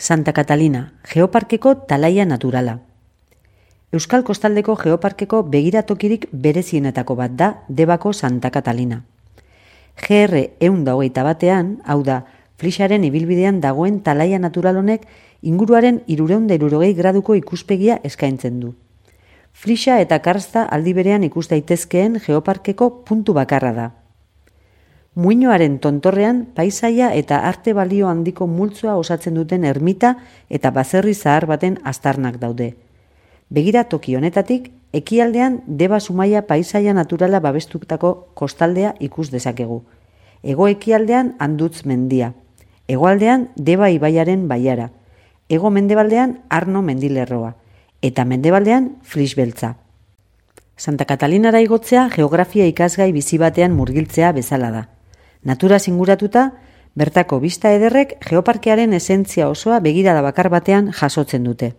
Santa Catalina, Geoparkeko talaia naturala. Euskal Kostaldeko Geoparkeko begiratokirik berezienetako bat da Debako Santa Catalina. GR 121, hau da, Flixaren ibilbidean dagoen talaia natural honek inguruaren 360 graduko ikuspegia eskaintzen du. Flixa eta Karsta aldi berean ikus daitezkeen Geoparkeko puntu bakarra da. Muinoaren tontorrean paisaia eta arte balio handiko multzoa osatzen duten ermita eta baserri zahar baten aztarnak daude. Begiratoki honetatik, ekialdean Deba Zumaia paisaia naturala babestutako kostaldea ikus dezakegu. Hego ekialdean Andutz mendia. Hegoaldean Deba ibaiaren baiara. Hego mendebaldean Arno mendilerroa. Eta mendebaldean Flix beltza. Santa Catalinara igotzea geografia ikasgai bizi batean murgiltzea bezala da. Naturaz inguratuta, bertako bista ederrek geoparkearen esentzia osoa begirada bakar batean jasotzen dute.